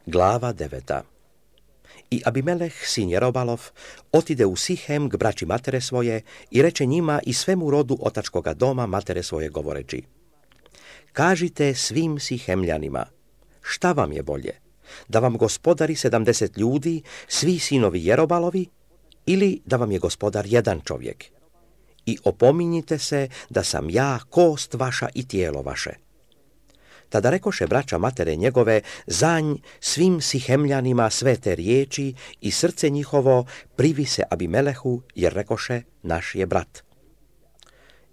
Glava 9. I Abimelech, sin Jerobalov, otide u Sihem k braći matere svoje i reče njima i svemu rodu otačkoga doma matere svoje govoreći: kažite svim Sihemljanima, šta vam je bolje, da vam gospodari 70 ljudi, svi sinovi Jerobalovi, ili da vam je gospodar jedan čovjek? I opominjite se da sam ja kost vaša i tijelo vaše. Tada rekoše braća matere njegove za nj svim Sihemljanima sve te riječi i srce njihovo privi se Abimelehu, jer rekoše naš je brat.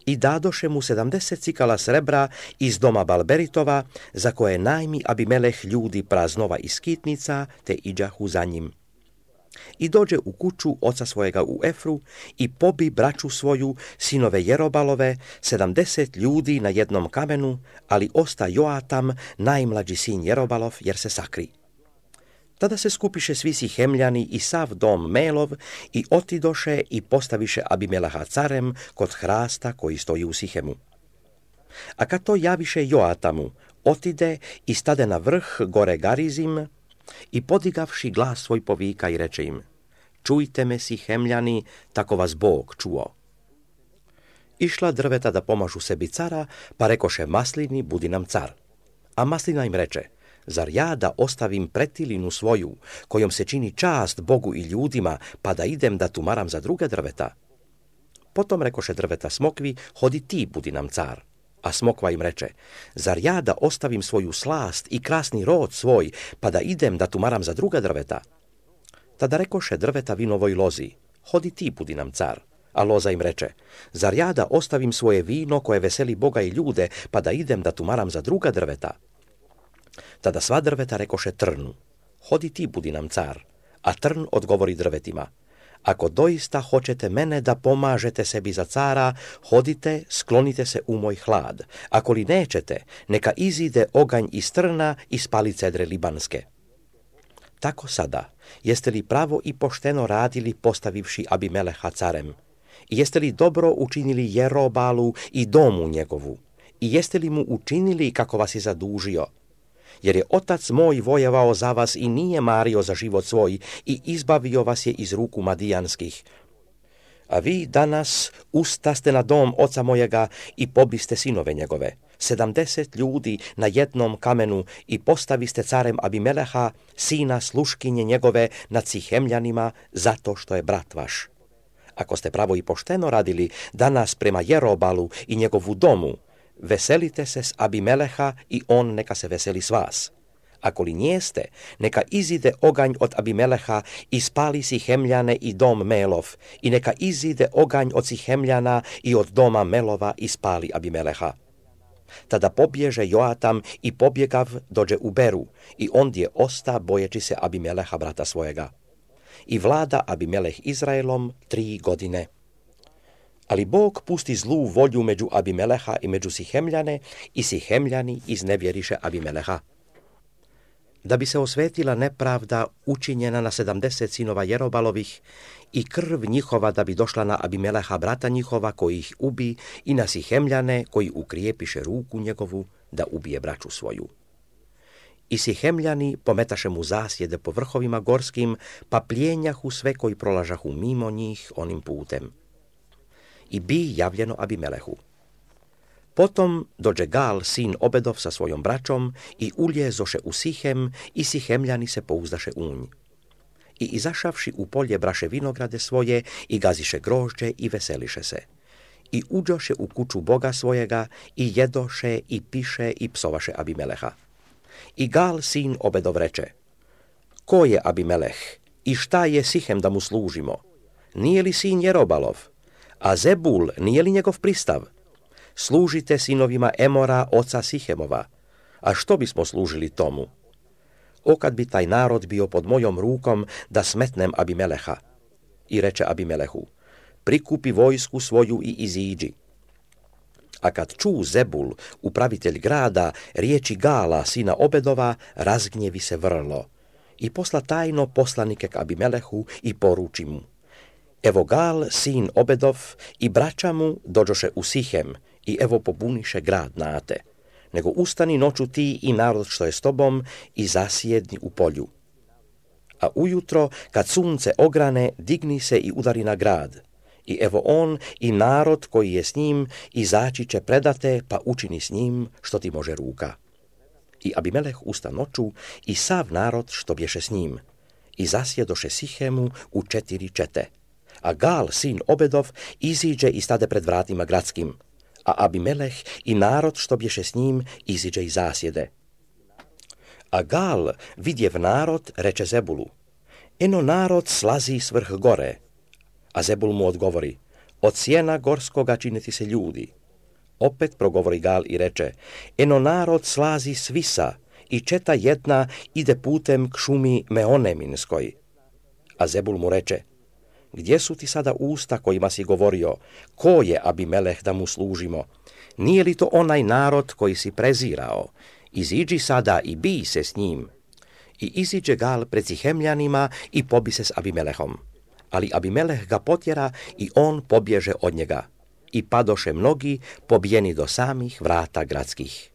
I dadoše mu 70 cikala srebra iz doma Balberitova, za koje najmi Abimeleh ljudi praznova i skitnica, te iđahu za njim. I dođe u kuću oca svojega u Efru i pobi braću svoju, sinove Jerobalove, 70 ljudi na jednom kamenu, ali osta Joatam, najmlađi sin Jerobalov, jer se sakri. Tada se skupiše svi Sihemljani i sav dom Melov i otidoše i postaviše Abimeleha carem kod hrasta koji stoji u Sihemu. A kad to javiše Joatamu, otide i stade na vrh gore Garizim i podigavši glas svoj povika i reče im: čujte me Sihemljani, tako vas Bog čuo. Išla drveta da pomažu sebi cara, pa rekoše Maslini, budi nam car. A Maslina im reče: zar ja da ostavim pretilinu svoju, kojom se čini čast Bogu i ljudima, pa da idem da tumaram za druge drveta? Potom rekoše drveta smokvi: hodi ti, budi nam car. A smokva im reče: zar ja da ostavim svoju slast i krasni rod svoj, pa da idem da tumaram za druga drveta? Tada rekoše drveta vinovoj lozi: hodi ti, budi nam car. A loza im reče: zar ja da ostavim svoje vino koje veseli Boga i ljude, pa da idem da tumaram za druga drveta? Tada sva drveta rekoše trnu: hodi ti, budi nam car. A trn odgovori drvetima: ako doista hoćete mene da pomažete sebi za cara, hodite, sklonite se u moj hlad. Ako li nećete, neka izide oganj iz trna i spali cedre libanske. Tako sada, jeste li pravo i pošteno radili postavivši Abimeleha carem? I jeste li dobro učinili Jerobalu i domu njegovu? I jeste li mu učinili kako vas je zadužio? Jer je otac moj vojevao za vas i nije mario za život svoj i izbavio vas je iz ruku Madijanskih. A vi danas ustaste na dom oca mojega i pobiste sinove njegove, 70 ljudi na jednom kamenu, i postaviste carem Abimeleha, sina sluškinje njegove, nad Sihemljanima, zato što je brat vaš. Ako ste pravo i pošteno radili danas prema Jerobalu i njegovu domu, veselite se s Abimeleha i on neka se veseli s vas. Ako li njeste, neka izide oganj od Abimeleha i spali Sihemljane i dom Melov, i neka izide oganj od Sihemljana i od doma Melova i spali Abimeleha. Tada pobježe Joatam i pobjegav dođe u Beru, i ondje osta bojeći se Abimeleha brata svojega. I vlada Abimeleh Izraelom 3 godine. Ali Bog pusti zlu volju među Abimeleha i među Sihemljane, i Sihemljani iznevjeriše Abimeleha. Da bi se osvetila nepravda učinjena na 70 sinova Jerobalovih i krv njihova da bi došla na Abimeleha brata njihova koji ih ubi i na Sihemljane koji ukrijepiše ruku njegovu da ubije braću svoju. I Sihemljani pometaše mu zasjede po vrhovima gorskim, pa plijenjahu sve koji prolažahu mimo njih onim putem. I bi javljeno Abimelehu. Potom dođe Gal, sin Obedov, sa svojom braćom i uljezoše u Sihem, i Sihemljani se pouzdaše u nj. I izašavši u polje braše vinograde svoje i gaziše grožđe i veseliše se. I uđoše u kuću Boga svojega i jedoše i piše i psovaše Abimeleha. I Gal, sin Obedov, reče: ko je Abimeleh i šta je Sihem da mu služimo? Nije li sin Jerobalov? A Zebul nije li njegov pristav? Služite sinovima Emora, oca Sihemova. A što bismo služili tomu? O, kad bi taj narod bio pod mojom rukom da smetnem Abimeleha. I reče Abimelehu: prikupi vojsku svoju i iziđi. A kad ču Zebul, upravitelj grada, riječi Gala, sina Obedova, razgnjevi se vrlo. I posla tajno poslanike k Abimelehu i poruči mu: evo Gal, sin Obedov, i braća mu dođoše u Sihem, i evo pobuniše grad nate. nego ustani noću ti i narod što je s tobom i zasjedni u polju. A ujutro, kad sunce ograne, digni se i udari na grad. I evo on i narod koji je s njim izaći će predate, pa učini s njim što ti može ruka. I Abimeleh usta noću i sav narod što bješe s njim. I zasjedoše Sihemu u 4 čete. A Gal, sin Obedov, iziđe i stade pred vratima gradskim. A Abimeleh i narod što bješe s njim iziđe i zasjede. A Gal, vidjev narod, reče Zebulu: eno narod slazi s vrh gore. A Zebul mu odgovori: od sjena gorskoga čine ti se ljudi. Opet progovori Gal i reče: eno narod slazi s visa i četa jedna ide putem k šumi Meoneminskoj. A Zebul mu reče: gdje su ti sada usta kojima si govorio, ko je Abimeleh da mu služimo? Nije li to onaj narod koji si prezirao? Iziđi sada i bij se s njim. I iziđe Gal pred Sihemljanima i pobi se s Abimelehom. Ali Abimeleh ga potjera i on pobježe od njega. I padoše mnogi, pobijeni do samih vrata gradskih.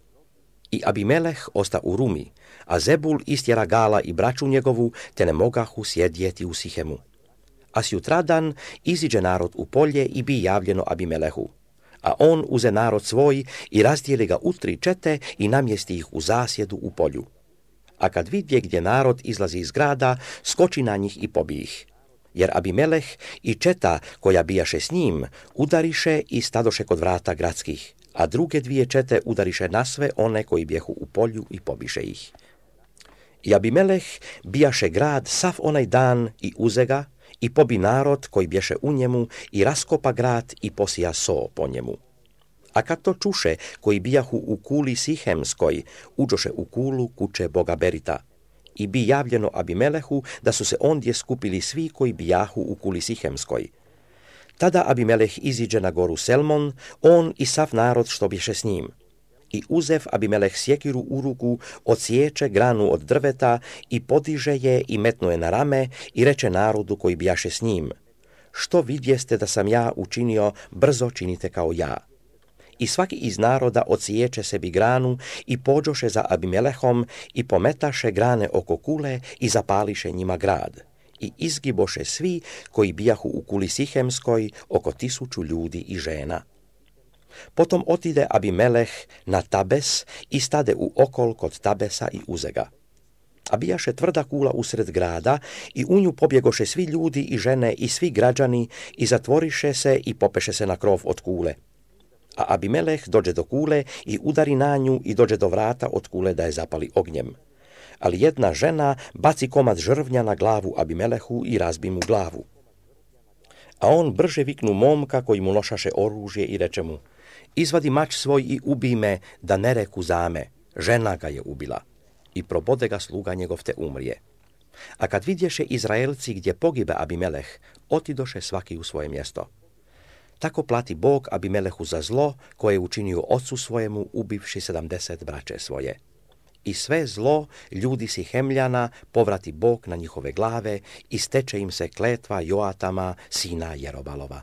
I Abimeleh osta u Rumi, a Zebul istjera Gala i braću njegovu, te ne mogahu sjedjeti u Sihemu. A sjutradan iziđe narod u polje i bi javljeno Abimelehu. A on uze narod svoj i razdijeli ga u 3 čete i namjesti ih u zasjedu u polju. A kad vidje gdje narod izlazi iz grada, skoči na njih i pobi ih. Jer Abimeleh i četa koja bijaše s njim udariše i stadoše kod vrata gradskih, a druge 2 čete udariše na sve one koji bjehu u polju i pobiše ih. I Abimeleh bijaše grad sav onaj dan i uze ga i pobi narod koji bješe u njemu i raskopa grad i posija so po njemu. A kad to čuše koji bijahu u kuli Sihemskoj, uđoše u kulu kuće Boga Berita. I bi javljeno Abimelehu da su se ondje skupili svi koji bijahu u kuli Sihemskoj. Tada Abimeleh iziđe na goru Selmon, on i sav narod što bješe s njim. I uzev Abimeleh sjekiru u ruku, odsječe granu od drveta i podiže je i metnuje na rame i reče narodu koji bijaše s njim: što vidjeste da sam ja učinio, brzo činite kao ja. I svaki iz naroda odsječe sebi granu i pođoše za Abimelehom i pometaše grane oko kule i zapališe njima grad. I izgiboše svi koji bijahu u kuli Sihemskoj, oko 1000 ljudi i žena. Potom otide Abimeleh na Tabes i stade u okol kod Tabesa i uze ga. A bijaše tvrda kula usred grada i u nju pobjegoše svi ljudi i žene i svi građani i zatvoriše se i popeše se na krov od kule. A Abimeleh dođe do kule i udari na nju i dođe do vrata od kule da je zapali ognjem. Ali jedna žena baci komad žrvnja na glavu Abimelehu i razbi mu glavu. A on brže viknu momka koji mu nošaše oružje i reče mu: izvadi mač svoj i ubij me, da ne reku zame, žena ga je ubila. I probode ga sluga njegov te umrije. A kad vidješe Izraelci gdje pogibe Abimeleh, otidoše svaki u svoje mjesto. Tako plati Bog Abimelehu za zlo koje je učinio ocu svojemu ubivši 70 braće svoje. I sve zlo ljudi Sihemljana povrati Bog na njihove glave i steče im se kletva Joatama, sina Jerobalova.